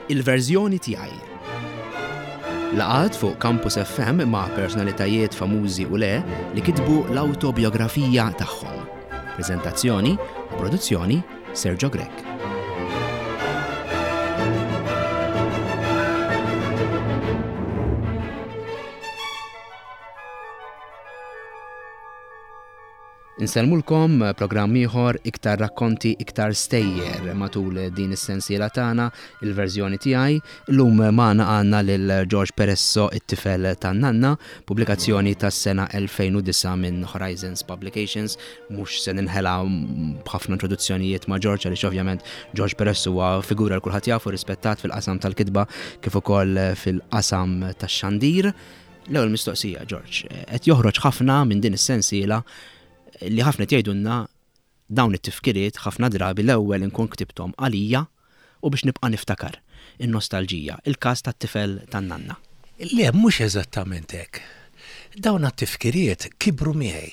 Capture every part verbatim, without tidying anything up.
Il-verżjoni tiegħi. Laqgħat fuq Campus F M ma' personalitajiet famużi u le li kitbu l-autobiografija tagħhom. Prezentazzjoni u produzzjoni, Sergio Grech. Insellmulkom, programm ieħor, iktar rakkonti, iktar stejjer matul din is-sensiela tagħna, Il-verżjoni tiegħi. Illum magħna għandna lil George Peresso, It-tifel tan-nanna, pubblikazzjoni tas-sena elfejn u disgħa minn Horizons Publications. Mhux se ninħela b'ħafna introduzzjonijiet ma' George, għaliex ovvjament George Peresso huwa figura l kulħadd jafu, rispettat fil-qasam tal-kitba kif ukoll fil-qasam tax-xandir. L-ewwel mistoqsija, George, qed joħroġ ħafna minn din is-sensiela li ħafna jgħidulna dawn it-tifkiriet ħafna drabi l-ewwel inkun ktibthom għalija u biex nibqa' niftakar, in-nostalġija, il-każ tat-tifel tan-nanna. Le, mhux eżattament hekk. Dawn it-tifkiriet kibru miegħi.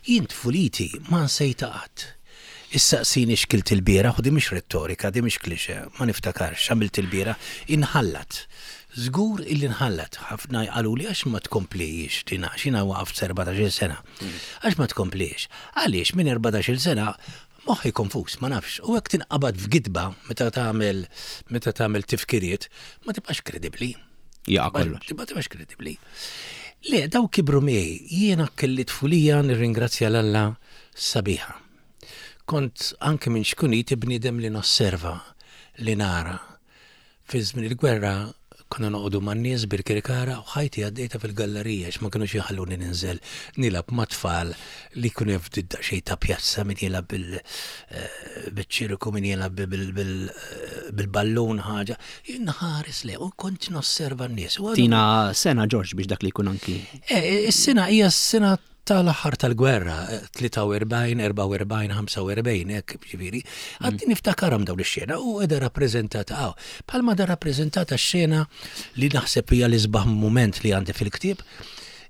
Jien tfuliti ma nsejta qatt. Issaqsini x'kilt il-bieraħ, u di mhix rettorika, di mhix klixe, ma niftakarx x'għamilt il-bieraħ, inħallat. Żgur illi nħallat. Ħafna qaluli għax ma tkomplix, tina, xina waqaft erbatax-il sena. Għax ma tkomplix? Għaliex minn erbatax-il sena moħħi konfus, ma nafx. U hekk tinqabad f'gidba meta tagħmel meta tagħmel tifkiriet, ma tibqax kredibbli. Ja, kollox. Tibqa' tibqax kredibbli. Le, daw kibru miegħi. Jiena kelli tfulija, nirringrazzja 'l Alla, sabiħa. Kont anke minn ċkuniti bniedem li nosserva, li nara. Fi żmien il-gwerra konna noqogħdu man-nies Birkirkara u ħajti għaddejta fil-gallerija għax ma kinux jħalluni ninżel nilgħab ma' tfal li jkunu ftit daqsxejn ta' pjazza, min jilgħab bil- eh, biċ-ċirku, min jilgħab bil- bil- eh, bil-ballun ħaġa. Jien nħares le u kont nosserva n-nies. U għadu- Tina sena, George, biex dak li jkun anki. Eh, Is-sena hija s-sena tal-aħħar tal-gwerra, eh, tlieta u erbgħin, erbgħa u erbgħin, ħamsa u erbgħin, hekk ġifieri. Għadni niftakarhom dawn ix-xena u qiegħda rappreżentata hawn. Bħalma da rappreżentata x-xena li naħseb hija l-isbaħ mument li għandi fil-ktieb,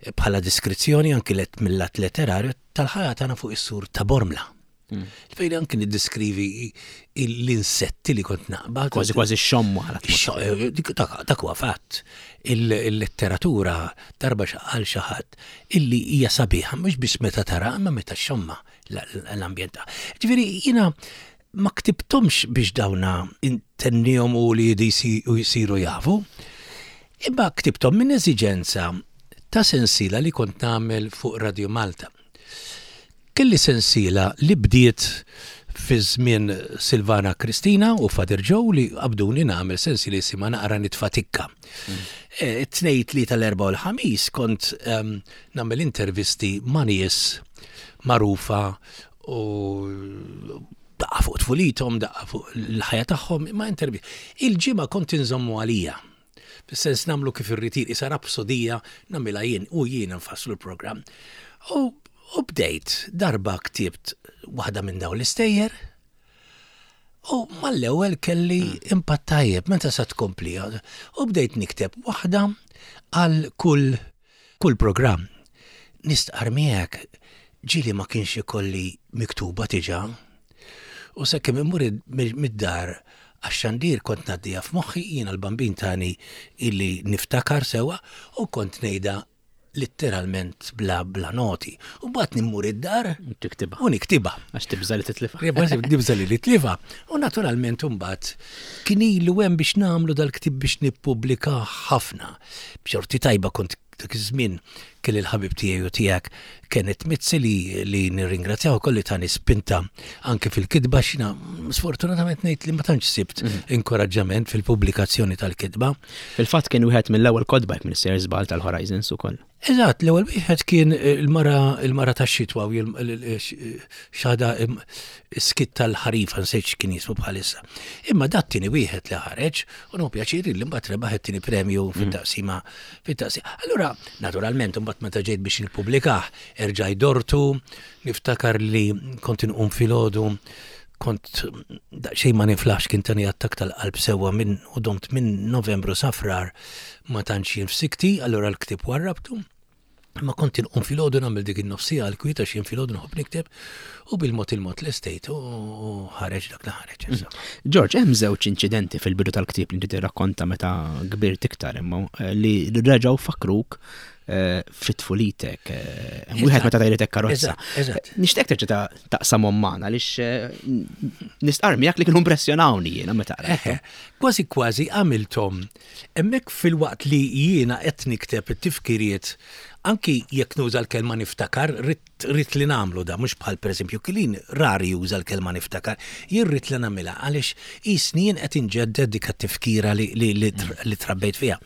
eh, bħala diskrizzjoni anki let mill-lat letterarju tal-ħajja tagħna fuq is-sur ta' Bormla. Fejn anki niddiskrivi l-insetti li kont naqbad. Kważi kważi xommu għala. Ix- eh, dik- Dak dak huwa fatt. Il- Il-letteratura darba għal xi ħadd illi hija sabiħa mhux biss meta tara, imma meta xomma l-ambjent. Ġifieri jiena ma ktibthomx biex dawna intennihom u li jisi- u jsiru jafu. Imma ktibthom minn eżiġenza ta' sensiela li kont nagħmel fuq Radio Malta. Kelli sensiela li bdiet fi żmien Silvana Kristina u Father Joe li qabduni nagħmel sensiela jisimha Naqra Nitfatikka. Eh, It-tnejn, tlieta, l-erbgħa u l-ħamis kont em, nagħmel intervisti ma' nies magħrufa u daqqa fuq tfulithom, daqqa fuq l-ħajja tagħhom, imma intervi. Il-ġimgħa kont inżommu għalija. Fis-sens nagħmlu kif irrid, isa rapsodija nagħmilha jien u jien nfasslu l-programm. U, u bdejt darba ktibt waħda minn dawn l-istejjer u mal-ewwel kelli impatt tajjeb meta sa tkompli. U bdejt nikteb waħda għal kull kull programm. Nistqar miegħek, ġieli ma kienx ikolli miktuba diġà. U sakemm immur mid-dar għax-xandir kont ngħaddiha f'moħħi, jiena l-bambin tani illi niftakar sewa u kont ngħidha letteralment bla bla noti. U mbagħad nimmur id-dar Tiktibha. u niktibha. Għax tibża li titlifha. Nibża li nitlifha. U naturalment mbagħad kien ilu hemm biex nagħmlu dal-ktib, biex nippubblika ħafna. B'xorti tajba kont dak iż-żmien kelli l-ħabib tiegħi u tiegħek Kenneth Mizzi li li nirringrazzjaw ukoll li tani spinta anke fil-kitba, xina sfortunatament ngħid li ma tantx sibt inkoraġġament fil-pubblikazzjoni tal-kitba. Fil-fatt kien wieħed mill-ewwel kotba, jekk m'iniex sejjer żball, tal-Horizons ukoll. Eżatt, l-ewwel wieħed kien il-mara il-mara tax-xitwa u xada skit tal-ħarifa, nsejt x'kien jismu bħalissa. Imma dat tieni wieħed li ħareġ u nieħu pjaċir li mbagħad rebaħ it-tieni premju fit-taqsima fit-taqsima. Allura, naturalment, mbagħad meta ġejt biex nippubblikah, erġaj dortu, niftakar li kont inqum filgħodu, kont daqsxejn ma niflaħx, kien tani attak tal-qalb sewwa minn u domt minn Novembru sa Frar ma tantx jien f'sikti, allura l-ktib warrabtu. Ma kont inqum filgħodu nagħmel dik in-nofsija għal kwieta x'jien filgħodu nħobb nikteb u bil-mod il-mod l-estate u ħareġ dak li ħareġ. Mm. George, hemm żewġ inċidenti fil-bidu tal-ktieb li inti tirrakkonta meta kbirt iktar imma eh, li reġgħu fakruk eh, fit-tfulitek. Eh, wieħed meta tajritek karozza. Nixtieq terġa' taqsamhom magħna għaliex nistqarr miegħek li kienu impressjonawni jiena meta qrajt. Kważi kważi għamilthom hemmhekk filwaqt li jiena qed nikteb it-tifkiriet anki jekk nuża l-kelma niftakar, rrid li nagħmlu da, mhux bħal pereżempju Kilin rari juża l-kelma niftakar, jien rrid li nagħmilha għaliex qisni jien qed inġedded dik it-tifkira li, li, li, li trabbejt fiha.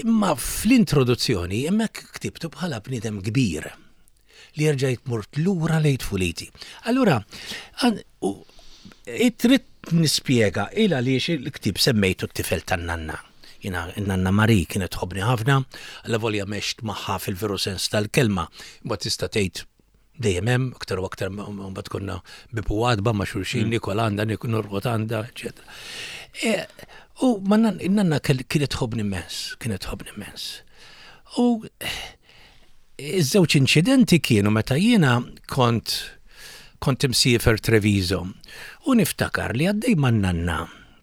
Imma fl-introduzzjoni hemmhekk ktibtu bħala bniedem kbir li rġajt mort lura lejn tfuliti. Allura, trid nispjega il għaliex il-ktib semmejtu t-tifel tan-nanna. Jiena nanna Mari kienet tħobbni ħafna, avolja m'għext magħha fil-veru sens tal-kelma, ma tista' tgħid dejjem hemm, aktar u aktar mbagħad konna bieb u għatba ma' xulxin, mm. Nikol għandha, norqod għandha, eċetera. E, u ma nanna kienet tħobbni immens, kienet tħobbni immens. U iż-żewġ inċidenti kienu meta jiena kont kont imsiefer Treviso u niftakar li għaddej man-nanna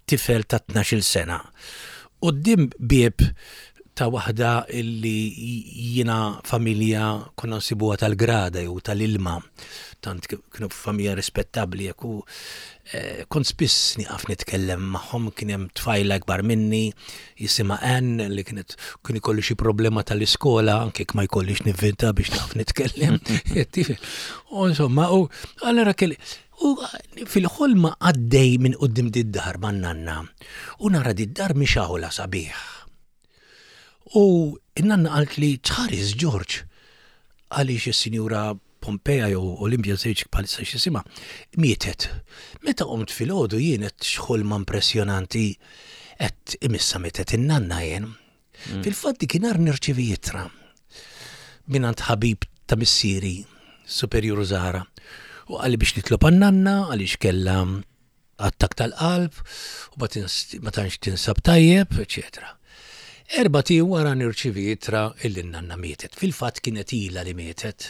tifel ta' tnax-il sena quddiem bieb ta' waħda illi jiena familja konna nsibuha tal-grada jew tal-ilma, tant kienu familja rispettabbli jekk u eh, kont spiss nieqaf nitkellem magħhom, kien hemm tfajla akbar minni jisimha Ann li kienet kien ikolli xi problema tal-iskola anke jekk ma jkollix nivvinta biex naf nitkellem. U insomma, u allura kelli U fil-ħolma għaddej minn quddiem did-dar man-nanna u nara did-dar mixgħula sabiħ. U n-nanna qalt li tħares George għaliex is-sinjura Pompea jew Olimpia Sejċ bħalissa x'jisimha mietet. Meta qomt filgħodu jien qed x'ħolma impressjonanti qed imissa mietet in-nanna jien. Mm. Fil-fatt dakinhar nirċivi ittra mingħand ħabib ta' missieri Superjur Zara. U qalli biex nitlob għan-nanna għaliex kellha attak tal-qalb u ma tantx tinsab tajjeb, eċetera. Erbat ijiem wara nirċivi ittra illi n-nanna mietet. Fil-fatt kienet ilha li mietet.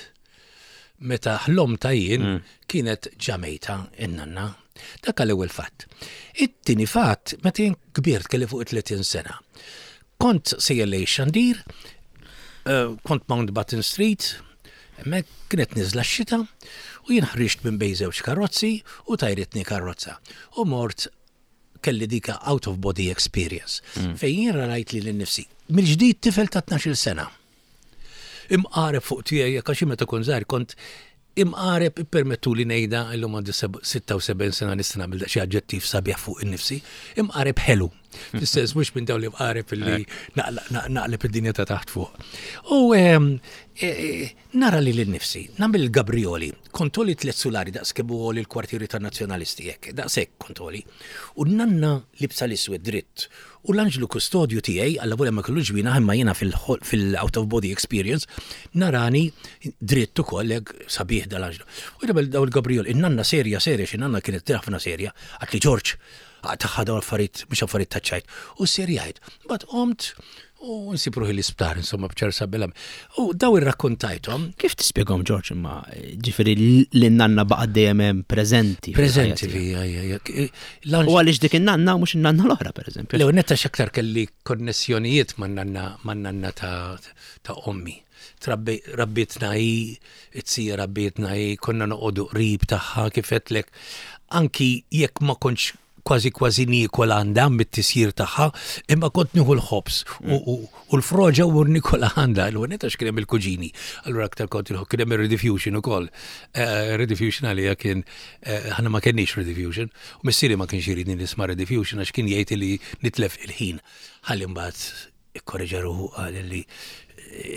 Meta ħlomtha jien mm. kienet ġa mejta in-nanna. Dak l-ewwel fatt. It-tieni fatt, meta jien kbirt kelli fuq tletin sena. Kont sejjer lejn xandir, eh, kont Mountbatten Street, hemmhekk kienet niżla x-xita u jien ħriġt minn bejn żewġ karozzi u tajritni karozza. U mort kelli dika out of body experience. Mm. Fejn jien rajt lili nnifsi. Mill-ġdid tifel ta' tnax-il sena. Imqareb fuq tiegħi jekk għax meta kont żgħir kont imqareb ippermettu li ngħidha illum għandi sitta u sebgħin sena nista' nagħmel xi aġġettiv sabiħ fuq innifsi, imqareb ħelu. Fis-sens mhux minn dawn li mqareb illi naqleb id-dinja ta' taħt fuq. U ehm, e, e, nara lili nnifsi, nagħmel il-Gabrioli, kont għoli tliet sulari daqs kemm għoli l-kwartieri tan-nazzjonalisti hekk, daqshekk kont għoli. U nanna libsa l-iswed dritt. U l-anġlu kustodju tiegħi, avolja ma kellu ġwienaħ imma jiena fil-out of body experience, narani dritt ukoll hekk sabiħ dal-anġlu. U jagħmel daw il-Gabriol, in-nanna serja serja, xi nanna kienet ħafna serja, qaltli George, taħħa daw affarijiet, mhux affarijiet ta' ċajt. U serjajt. But qomt u nsib ruħi l-isptar, insomma, bċersa bilam. U daw irrakkontajthom. Kif tispjegahom, George, imma ġifieri l-nanna baqgħet dejjem hemm preżenti? Preżenti fija, ja, ja. U għaliex dik in-nanna mhux in-nanna l-oħra, pereżempju? Le, netta x'aktar kelli konnessjonijiet man-nanna man-nanna ta' ta' ommi. Rabbitna hi, it-sija rabbietna hi, konna noqogħdu qrib tagħha kif għedtlek. Anki jekk ma kontx kważi kważi niekol għandha mit-tisjir tagħha, imma kont nieħu l-ħobż u u l-froġa u nikol għandha, l għax kien hemm il-kuġini. Allura aktar kont il kien hemm ir-rediffusion ukoll. Eh, Rediffusion għalija kien eh, ħana ma kenniex rediffusion, u missieri ma kienx iridni nisma' rediffusion għax kien jgħid li nitlef il-ħin. Ħalli mbagħad ikkorreġa ruħu qal li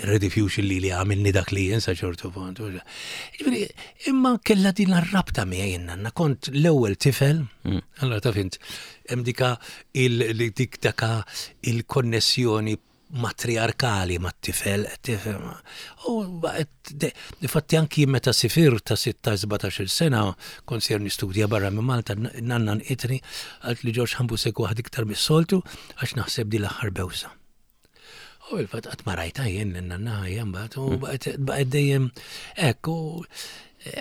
rediffusion li li għamilni dak li jinsa ċertu punt. Ġifieri, imma kella din ar-rabta miegħi nanna kont l-ewwel tifel, allora taf int, hemm dika il li dik daka il-konnessjoni matriarkali mat-tifel, tifel. U baqgħet infatti anki meta sifirt ta' sittax sbatax-il sena kont ser nistudja barra minn Malta, nanna għannqitni qaltli George ħa nbusek waħda iktar mis-soltu għax naħseb di l-aħħar bewsa. U il-fatt qatt ma rajta jien lin-nanna ħajja mbagħad u baqgħet dejjem hekk u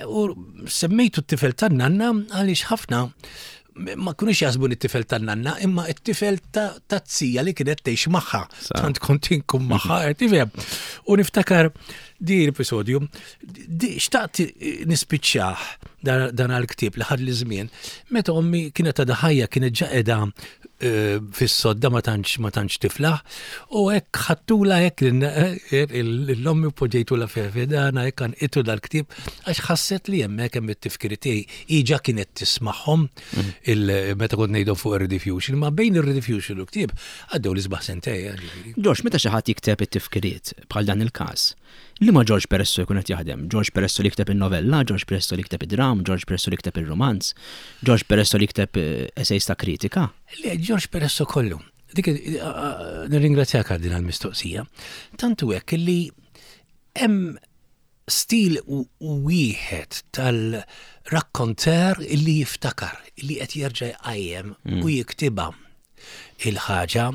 u semmejtu t-tifel tan-nanna għaliex ħafna ma kunux jaħsbu li t-tifel tan-nanna imma t-tifel ta' zija li kienet tgħix magħha. Tant kont inkun magħha, tifhem. U niftakar di l-episodju, xtaqt nispiċċah dan għal-ktieb li ħad li żmien, meta ommi kienet għadha ħajja kienet ġa qiegħda fis-sodda ma tantx ma tantx tiflaħ u hekk ħadtula hekk l-ommi poġġejtula f'dana hekk għanqitu dal-ktieb għax ħasset li hemmhekk hemm it-tifkiri tiegħi iġa kienet tismagħhom meta kont ngħidhom fuq ir-Rediffusion, ma bejn ir-Rediffusion u l-ktieb għaddew l-isbaħ sentej. George, meta xi ħadd jikteb it-tifkiriet bħal dan il-każ, liema George Peresso jkun qed jaħdem? George Peresso li jikteb in-novella, George Peresso li jikteb id-dram, George Peresso li jikteb ir-romanz, George Peresso li jikteb essays ta' kritika? Le, George Peresso kollu. Dik nirringrazzjak għal din għall-mistoqsija. Tantu hekk li hemm stil wieħed tal-rakkonter illi jiftakar, illi qed jerġa' jqajjem u jiktibha il-ħaġa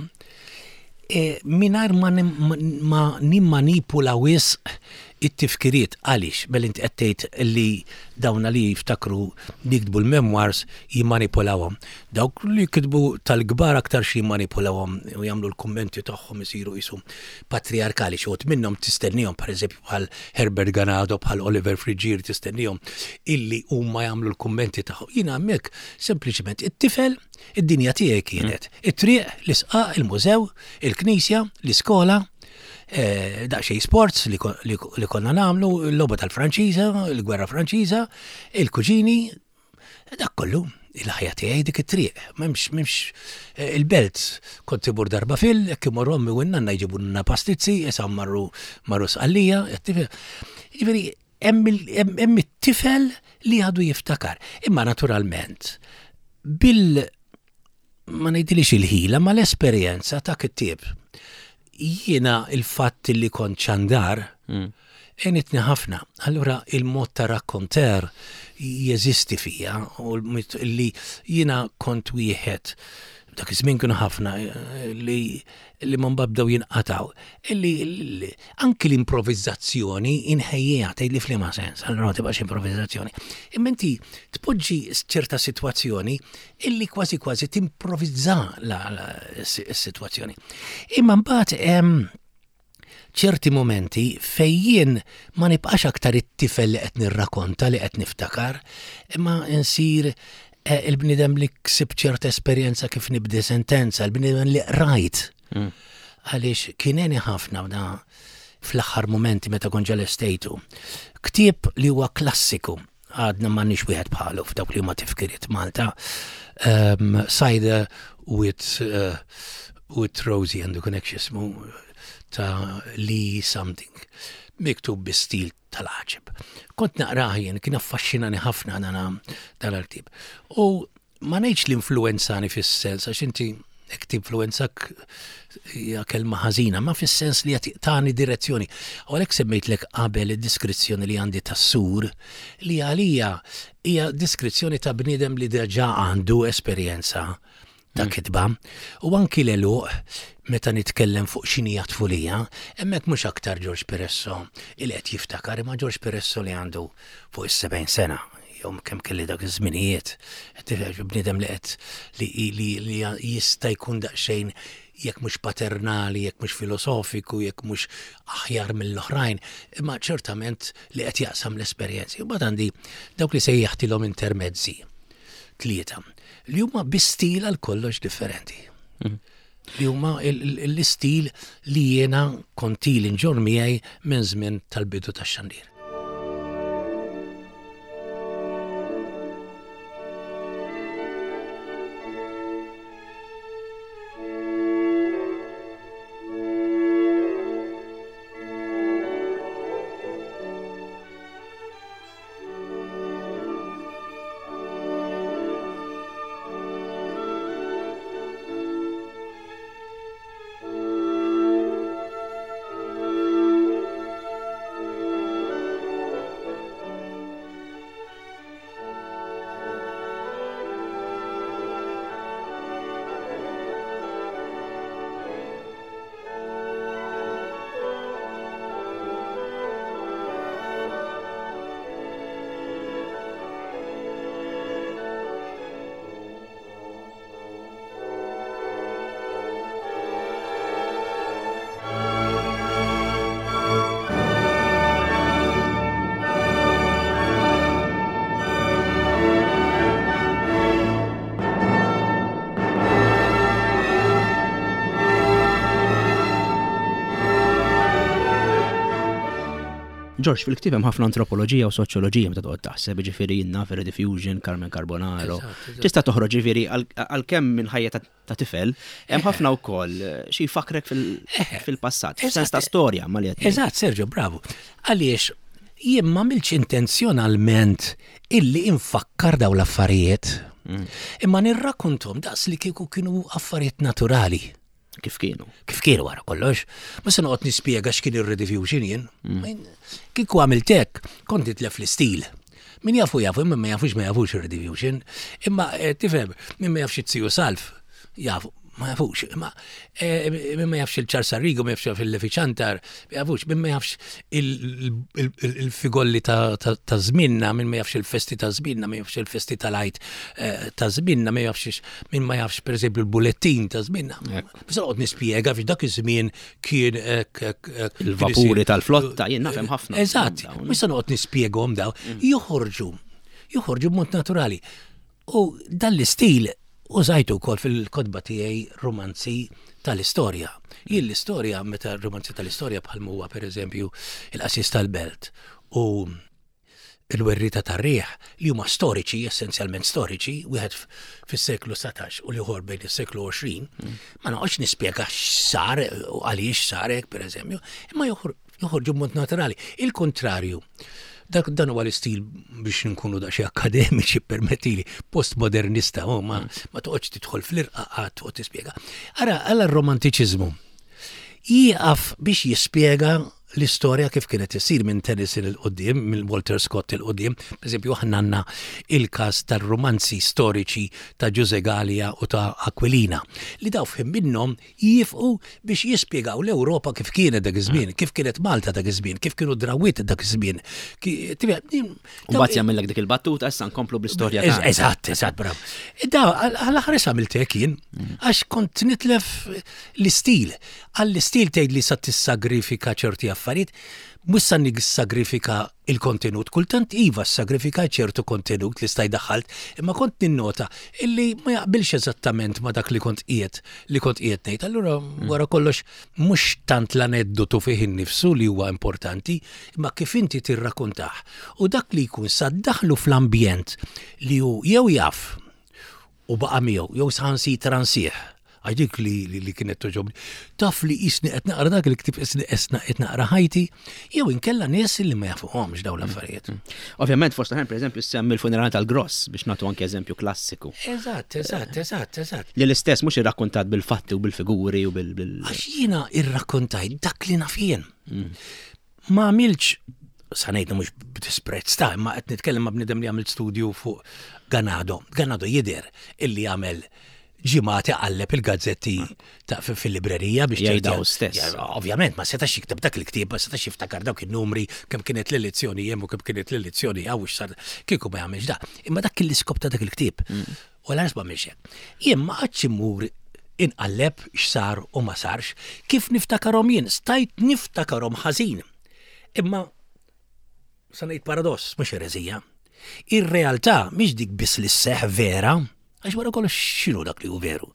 mingħajr ma nimmanipula wisq it-tifkiriet. Għaliex, mela inti qed tgħid li dawna li jiftakru li jiktbu l-memoirs jimmanipulawhom. Dawk li jiktbu tal-kbar aktar xi jimmanipulawhom u jagħmlu l-kummenti tagħhom isiru qishom patriarkali. Xi wħud minnhom tistennihom, pereżempju bħal Herbert Ganado, bħal Oliver Friggieri, tistennihom illi huma jagħmlu l-kummenti tagħhom. Jiena hemmhekk sempliċement it-tifel, id-dinja tiegħi kienet it-triq, l-isqaq, il-mużew, il-knisja, l-iskola, daqsxejn sports li konna nagħmlu, l-logħba tal-Franċiża, il-gwerra Franċiża, il-kuġini, dak kollu, il-ħajja tiegħi dik it-triq. M'hemmx, m'hemmx il-belt kont imur darba fil, jekk imorru ommi u n-nanna jġibulna pastizzi, issa marru marru Sqallija, jiġifieri hemm it-tifel li għadu jiftakar. Imma naturalment bil ma ngħidilix il-ħila, ma l-esperjenza ta' kittieb. Jiena il-fatt li kont xandar għenitni ħafna. Allura il-mod ta' rakkonter jeżisti fija u li jiena kont wieħed dak iż-żmien kienu ħafna li li ma mbabdew jinqataw. Illi anki l-improvizzazzjoni inħejjiha tgħid li f'liema sens, allura ma tibqax improvizzazzjoni. Imma inti tpoġġi ċerta sitwazzjoni illi kważi kważi timprovizza la s-sitwazzjoni. Imma mbagħad hemm ċerti momenti fejn jien ma nibqax aktar it-tifel li qed nirrakonta li qed niftakar, imma nsir il-bniedem li ksib ċerta esperjenza kif nibdi sentenza, il-bniedem li rajt. Għaliex kien għeni ħafna da fl-aħħar momenti meta kont ġal-estejtu. Ktieb li huwa klassiku, għadna m'għandniex wieħed bħalu f'dawk li huma tifkiriet Malta. Um, Cider with, uh, with Rosie and the Connection ta' Lee something, miktub bi stil tal-għaġeb. Kont naqrah jien, kien affaxxinani ħafna dan dan il-ktieb. U ma ngħidx l-influenzani fis-sens, għax inti hekk tinfluwenzak hija kelma ħażina, ma fis-sens li qed tani direzzjoni. U għalhekk semmejtlek qabel id-diskrizzjoni li għandi tas-sur, li għalija hija diskrizzjoni ta' bniedem li diġà għandu esperjenza ta' kitba. U anki l-eluq, meta nitkellem fuq x'inhi tfulija, hemmhekk mhux aktar George Peresso il qed jiftakar, imma George Peresso li għandu fuq is-sebgħin sena, jew kemm kelli dak iż-żminijiet, bniedem li qed li li jista' jkun daqsxejn jekk mhux paternali, jekk mhux filosofiku, jekk mhux aħjar mill-oħrajn, imma ċertament li qed jaqsam l-esperjenzi. U mbagħad għandi dawk li sejjaħtilhom intermezzi, tlieta, li huma bi stil għal kollox differenti. Li huma l-istil li jiena kont ili nġorr miegħi minn żmien tal-bidu tax-xandir. George, fil-ktieb hemm ħafna antropoloġija u soċjoloġija meta toqgħod taħseb, ġifieri jiena Rediffusion, Carmen Carbonaro. Tista' toħroġ ġifieri għalkemm minn ħajja ta' tifel, hemm ħafna wkoll xi jfakkrek fil-passat, f'sens ta' storja ma li Eżatt, Sergio, bravo. Għaliex jien ma għamiltx intenzjonalment illi infakkar daw l-affarijiet, mm. imma nirrakkontom daqs li kieku kienu affarijiet naturali. Kif kienu? Kif kienu wara kollox. Ma se noqgħod nispjega x'kien ir-Rediffusion jien. Mm. Kieku għamilt hekk, kont nitlef l-istil. Min jafu jafu, imma ma jafux ma jafux ir-Rediffusion. Imma eh, tifhem, min ma jafx it-Tiju Salv, jafu, ma jafux. Imma eh, min ma jafx il-Charles Arrigo, ma jafx il-Lefi Ciantar, ma jafux, min ma jafx il-figolli ta' żminna, min ma jafx il-festi ta' żminna, ma jafx il-festi tal-Għid eh, ta' żminna, ma jafx min ma jafx per eżempju il-bulettin ta' żminna. Biss noqgħod nispjega fiex dak iż-żmien kien il-vapuri tal-flotta, jien nafhem ħafna. Eżatt, mhux se noqgħod nispjegahom daw, mm. joħorġu, joħorġu b'mod naturali. U dan l-istil użajtu wkoll fil-kotba tiegħi romanzi tal-istorja. Jien l-istorja, meta romanzi tal-istorja bħal huwa pereżempju il-Qassis tal-Belt u il-Werrieta tar-Riħ li huma storiċi, essenzjalment storiċi, wieħed fis-seklu satax u l-ieħor bejn is-seklu għoxrin, mm. ma noqgħodx nispjega x'sar u għaliex sar hekk pereżempju, imma joħorġu b'mod naturali. Il-kontrarju, dak dan huwa l-istil biex nkunu daqsxejn akademiċi permettili, postmodernista, oh, ma, ma toqgħodx tidħol fl-irqaqat toqgħod tispjega. Ara, għala r-romantiċiżmu jieqaf biex jispjega l-istorja kif kienet isir minn Tennyson 'il quddiem, minn Walter Scott 'il quddiem. Per eżempju, aħna għandna il-każ tar-romanzi storiċi ta' Ġużè Galea u ta' Aquilina, li daw f'ħin minnhom jifqu biex jispjegaw l-Ewropa kif kienet dak iż-żmien, kif kienet Malta dak iż-żmien, kif kienu drawiet dak iż-żmien. U mbagħad jagħmellek dik il-battuta issa nkomplu bl-istorja. Eżatt, eżatt, bravo. Da, għall-aħħar għamilt hekk jien, mm. għax kont nitlef l-istil. Għall-istil tgħid li sa tissagrifika ċerti affarijiet, mhux sa nissagrifika il-kontenut. Kultant iva sagrifika ċertu kontenut li staj daħħalt, imma kont ninnota illi ma jaqbilx eżattament ma dak li kont qiegħed li kont qiegħed ngħid. Allura mm. wara kollox mhux tant l-aneddotu fih innifsu li huwa importanti, imma kif inti tirrakkontah. U dak li jkun sa daħlu fl-ambjent li hu jew jaf u baqa' miegħu jew saħansitra nsih. Għax dik li, li, li kienet toġobni. Taf li jisni qed naqra dak il-ktieb isni esna qed naqra ħajti, jew inkella nies li ma jafuhomx dawn l-affarijiet. Mm. Ovvjament, fost oħrajn, pereżempju, semmi l-funeral tal-Gross biex nagħtu anke eżempju klassiku. Eżatt, eżatt, eżatt, eżatt. Li l-istess mhux irrakkontat bil-fatti u bil-figuri u bil. Għax jiena irrakkontajt dak li naf jien. Mm. Ma għamilx, sa ngħidna mhux b'disprezz ta' imma qed nitkellem ma' bniedem li għamil studju fuq Ganado. Ganado jidher illi għamel ġimgħat iqalleb il-gazzetti ta' fil-librerija biex jgħidaw stess. Ovvjament, ma setax jikteb dak il-ktieb, ma setax jiftakar dawk il-numri, kemm kienet l-elezzjoni hemm u kemm kienet l-elezzjoni hawn x'sar kieku ma jagħmilx da. Imma dak kien l-iskop ta' dak il-ktieb. Mm. U l ma għamilx hekk. Jien ma qgħadx immur inqalleb x'sar u ma sarx, kif niftakarhom jien, stajt niftakarhom ħażin. Imma sa ngħid paradoss, mhux ereżija. Ir-realtà mhix dik biss li sseħħ vera, għax wara kollox x'inhu dak li hu veru.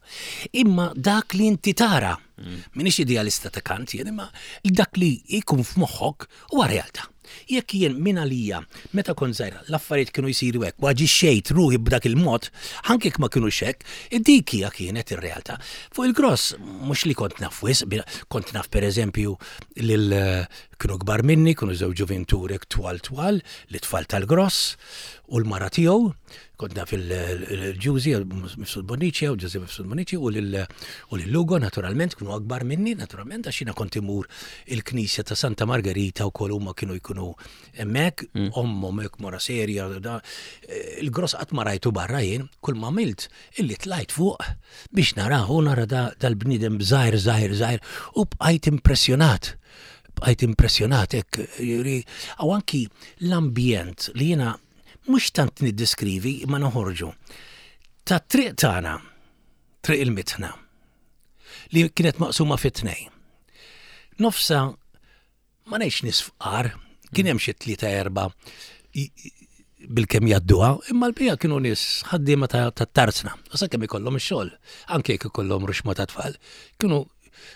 Imma dak li inti tara, mm. minix idealista ta' Kant jien, imma dak li jkun f'moħħok huwa realtà. Jekk jien minn għalija, meta kont żgħira, l-affarijiet kienu jsiru hekk, u aġixxejt ruħi b'dak il-mod, anke jekk ma kinux hekk, dik hija kienet ir-realtà. Fuq il-Gross, mhux li kont naf wisq, kont naf pereżempju lil kienu kbar minni, kienu żewġ ġuvinturek twal twal, li tfal tal-Gross u l-mara tiegħu, kont naf il-Ġużi, Mifsud Bonnici, u Ġużi Mifsud Bonnici, u lil Lugo, naturalment, kienu akbar minni, naturalment, għax jiena kont imur il-knisja ta' Santa Margherita u kol huma kienu jkunu hemmhekk, mm. ommhom hekk mora serja, da, il-Gross qatt ma rajtu barra jien, kull ma għamilt illi tlajt fuq biex narahu, nara dal-bniedem żgħir, żgħir, żgħir, u bqajt impressjonat. Bqajt impressjonat hekk, u anki l-ambjent li jiena mhux tant niddiskrivi imma noħorġu. Ta' triq tagħna, triq il-mitħna, li kienet maqsuma fit tnejn. Nofsa ma ngħidx nies fqar, kien hemm xi tlieta erba' bil-kemm jgħadduha, imma l-bija kienu nies ħaddiema ta' tarzna. U sakemm ikollhom ix-xogħol, anke jekk ikollhom ruxma ta' tfal, kienu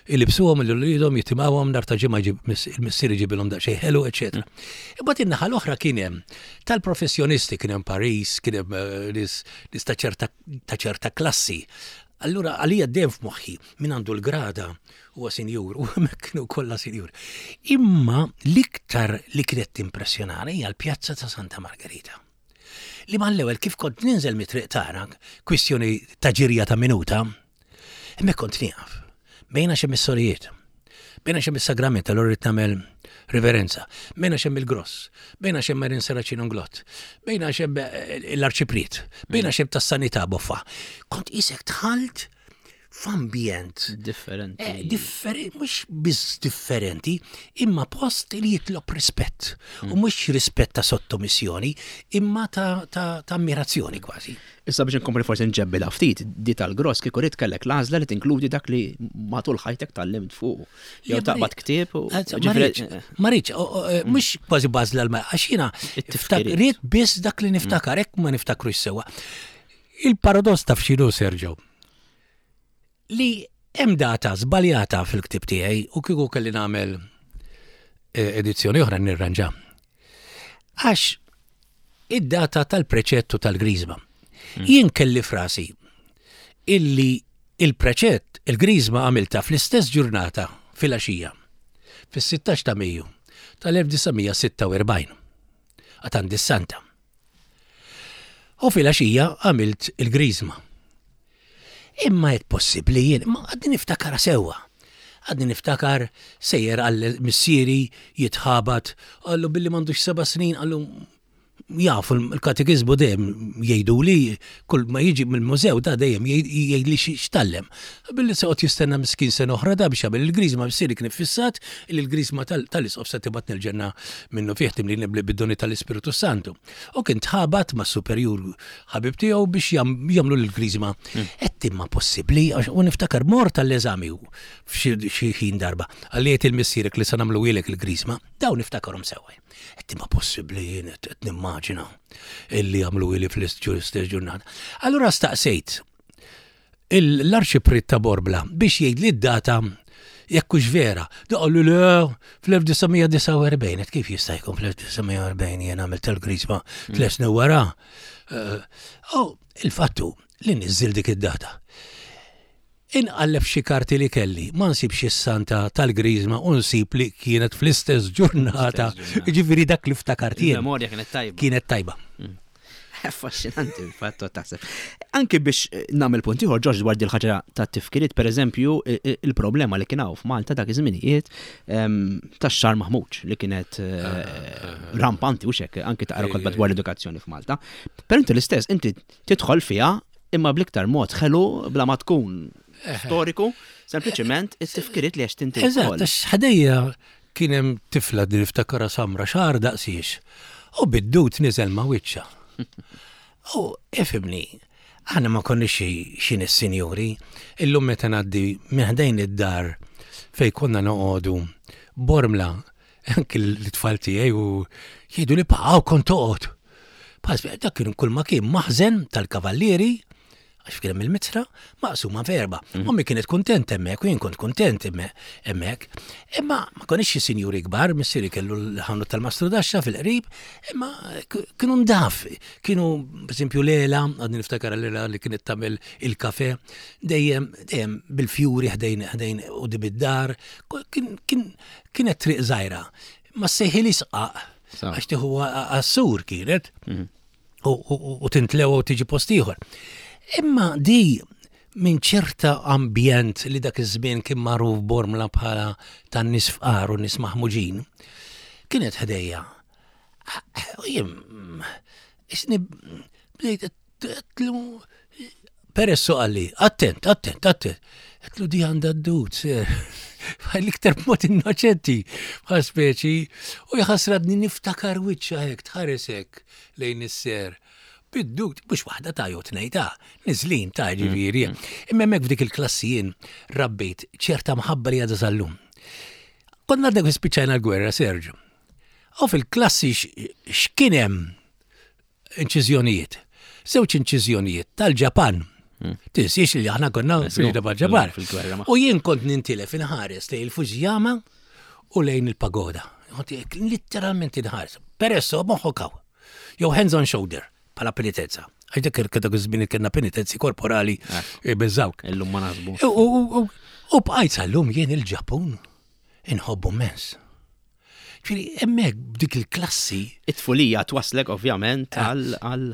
Ilibsuhom lil uliedhom, jitimgħuhom nhar ta' Ġimgħa, il-missier iġibilhom daqsxejn ħelu, eċetera. Imbagħad in-naħa l-oħra kien hemm tal-professjonisti, kien hemm Paris, kien hemm eh, nies ta' ċerta klassi. Allura għalija dejjem f'moħħi min għandu l-grada huwa sinjur, u hemmhekk kienu kollha sinjur. Imma l-iktar li kienet timpressjonani hija l-pjazza ta' Santa Margherita. Li mal-ewwel kif kont ninżel mit-triq tagħna, kwistjoni ta' ġirja ta' minuta, hemmhekk kont nieqaf. Bejna xemm is-sorijiet, bejna xemm is-sagrament, allura rrid nagħmel riverenza, bejna xemm il-gross, bejna xemm Marin Serracino Inglott, bejna xemm eh, l-arċipriet, bejna xemm tas-sanità boffa. Kont isek dħalt f'ambjent differenti. Eh, differenti, mhux biss differenti, imma post li jitlob rispett. U mhux rispett ta' sottomissjoni, imma ta', ta, ta' ammirazzjoni kważi. Issa biex nkompli forsi nġebbilha ftit, di tal-gross kieku rrid kellek l-għażla li tinkludi dak li matul ħajtek tgħallimt fuq. Jew taqbad ktieb u. Ma rridx, mhux kważi bażla l għax jiena rrid biss dak li niftakar, hekk ma niftakrux sewwa. Il-paradoss taf x'inhu, Sergio, li hemm data żbaljata fil-ktib tiegħi u kieku kelli nagħmel eh, edizzjoni oħra nirranġa. Għax id-data tal-preċettu tal-Griżma. Mm. Jien kelli f'rasi illi il-preċett, il-Griżma għamilta fl-istess ġurnata fil-għaxija, fis-sittax ta' Mejju tal-elf disa' mija sitta u erbgħin. Għad Santa. U fil-għaxija għamilt il-Griżma. Imma għedt possibbli jien, ma għadni niftakar sewwa. Għadni niftakar sejjer għal missieri jitħabat, għallu billi m'għandux seba' snin, għallu jafu l-katekizmu dejjem jgħidu li kull ma jiġi mill-mużew da dejjem jgħid li x'tgħallem. Billi se jistenna miskin sena oħra da biex jagħmel il-griżma, missieri kien fissat li l-griżma tal-isqof se tibgħatni l-ġenna minnu fih, timlini bid-doni tal-Ispiritu Santu. U kien tħabat ma' superjur ħabib tiegħu biex jagħmlu l-griżma. Għedt imma possibbli u niftakar mort tal-eżami f'xi ħin darba. Għalliet il-missierek li se nagħmlu il-griżma, dawn niftakarhom sewwa. Għedt imma possibbli jien qed nimmaġina illi għamlu ili fl-istess ġurnata. Allura staqsejt l-arċipriet ta' Bormla biex jgħid li d-data jekk hux vera. Qalli le, fl-elf disa' mija disgħa u erbgħin, kif jista' jkun fl-elf disa' mija erbgħin jien għamilt il-griżma tliet snin wara? Oh, il-fattu li niżżil dik id-data. Inqalleb xi karti li kelli, ma nsibx is-santa tal-griżma u nsib li kienet fl-istess ġurnata. Ġifieri dak li ftakart jien. Il-memorja kienet tajba. Kienet tajba. Affaxxinanti il-fattu taħseb. Anki biex nagħmel punt ieħor, Ġorġ, dwar dil-ħaġa ta' tifkiriet, pereżempju, il-problema li kien hawn f'Malta dak iż-żminijiet tax-xagħar maħmuġ li kienet rampanti u xek, anki taqra kotba dwar l-edukazzjoni f'Malta. Però inti l-istess, inti tidħol fiha imma bl-iktar mod ħelu bla ma tkun storiku, sempliċement it-tifkiriet li għext inti. Eżatt, għax ħdejja kien hemm tifla din niftakara samra, xagħar daqsiex. U bid-dud niżel ma' wiċċha. U ifhimni, aħna ma konniex xi nies sinjuri, illum meta ngħaddi minn ħdejn id-dar fej konna noqogħdu Bormla, anki l-tfal tiegħi u jgħidu li pa kont toqgħod. Pas dak kien kull ma kien maħżen tal-kavallieri, għax kien hemm il-mitra maqsuma f'erba. Ommi kienet kuntent hemmhekk u jien kont kuntent hemmhekk. Imma ma konniex xi sinjuri kbar, missieri kellu l-ħanut tal-mastru daxxa fil-qrib, imma kienu ndaf, kienu pereżempju Lela, għadni niftakar Lela li kienet tagħmel il-kafe, dejjem dejjem bil-fjuri ħdejn ħdejn u id-dar, kienet triq żgħira. Ma sejħili sqaq, għax tieħu għassur kienet, u tintlew u tiġi post ieħor. Imma di minn ċerta ambjent li dak iż-żmien kien magħruf Bormla bħala tan-nies fqar u nies maħmuġin, kienet ħdejja. U jien isni bdejt għedtlu Peresso qalli, attent, attent, attent. Għedtlu di għandha d-dud, sir. L-iktar mod innoċenti, bħal speċi, u jħasradni niftakar wiċċha hekk, tħares hekk lejn is-ser. Bid-dud, mhux waħda ta' jew tnejn ta' niżlin ta' ġifieri. Imma hemmhekk f'dik il-klassi jien rabbejt ċerta mħabba li għadha sal-lum. Konna għadna spiċċajna l-gwerra, Sergio. U fil-klassi x'kien hemm inċiżjonijiet. Żewġ inċiżjonijiet tal-Ġapan. Tinsiex li aħna konna fil-ġabar. Fil-gwerra U jien kont nintilef inħares lejn il-Fujiyama u lejn il-pagoda. Kont Literalment inħares. Peresso moħħok hawn. Jew hands on shoulder bħala penitenza. Għax dak dak iż-żmien kellna penitenzi korporali eh, biżawk. Illum ma naħsbu. U- U u- u bqajt sal-lum jien il-Ġapun inħobbu immens. Ġifieri hemmhekk b'dik il-klassi It-tfulija twaslek ovvjament għal għal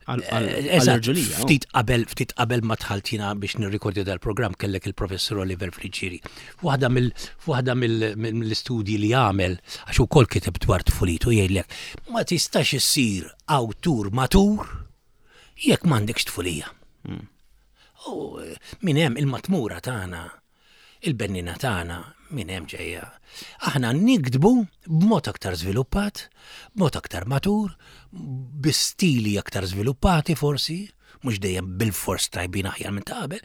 għal għal Eżatt, għal-irġulija. Ftit qabel, ftit qabel ma dħalt jiena biex nirrikordja dal-programm kellek il-professur Oliver Friggieri. Waħda mill waħda mill- mill-istudji li għamel, għax ukoll kiteb dwar tfulitu jgħidlek, ma tistax issir awtur matur jekk m'għandekx tfulija. U eh, minn hemm il-matmura tagħna, il-bennina tagħna, minn hemm ġejja. Aħna niktbu b'mod aktar żviluppat, b'mod aktar matur, bi stili aktar żviluppati forsi, mhux dejjem bil-fors tajbin aħjar minn ta' qabel,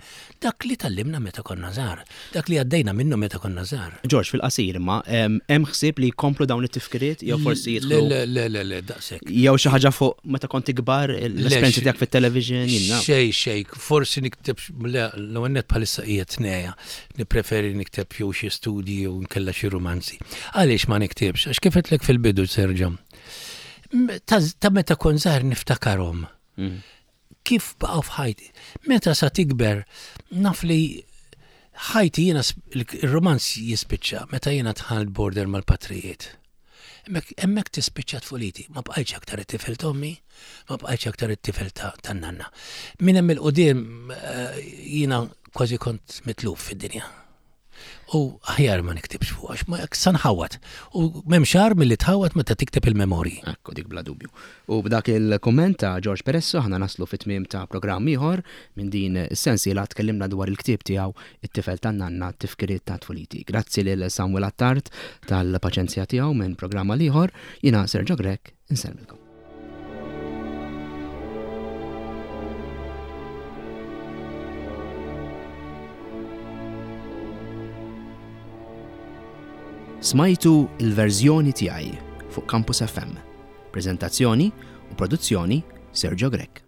dak li tgħallimna meta konna żgħar, dak li għaddejna minnu meta konna żgħar. George, fil-qasir imma, em, hemm ħsieb li jkomplu dawn it-tifkiriet jew forsi Le, jidħlu le, le, le, le, daqshekk. jew xi ħaġa fuq meta kont ikbar l-esperjenzi xi- tiegħek fit-television jiena. Xej, xej, forsi nikteb, le, l-għennet bħalissa qiegħed tneja, nippreferi nikteb jew xi studji jew nkella xi romanzi. Għaliex ma niktibx? Għax kif għedtlek fil-bidu Serġo. M- Ta' ta' meta kont żgħar niftakarhom. Mm. Kif baqgħu f'ħajti? Meta sa tikber, naf li ħajti jiena sp- il-romanz jispiċċa meta jiena dħalt border mal-patrijiet. Hemmhekk hemmhekk tispiċċa tfuliti, ma bqajtx aktar it-tifel t'ommi, ma bqajtx aktar it-tifel ta' tan-nanna. Minn hemm il-qudiem eh, jiena kważi kont mitluf fid-dinja. U aħjar ma niktibx fuq għax ma sa nħawat. U m'hemm xar milli tħawat meta tikteb il-memorji. Ekku dik bla dubju. U b'dak il-komment ta' George Peresso aħna naslu fit-tmiem ta' programm ieħor minn din is-sensiela tkellimna dwar il-ktieb tiegħu it-tifel tan-nanna tifkiriet ta' tfuliti. Grazzi lil Samuel Attard tal-paċenzja tiegħu minn programm għal ieħor, jiena Sergio Grech insellmilkom. Smajtu il-verżjoni tiegħi fuq Campus F M. Prezentazzjoni u produzzjoni Sergio Grech.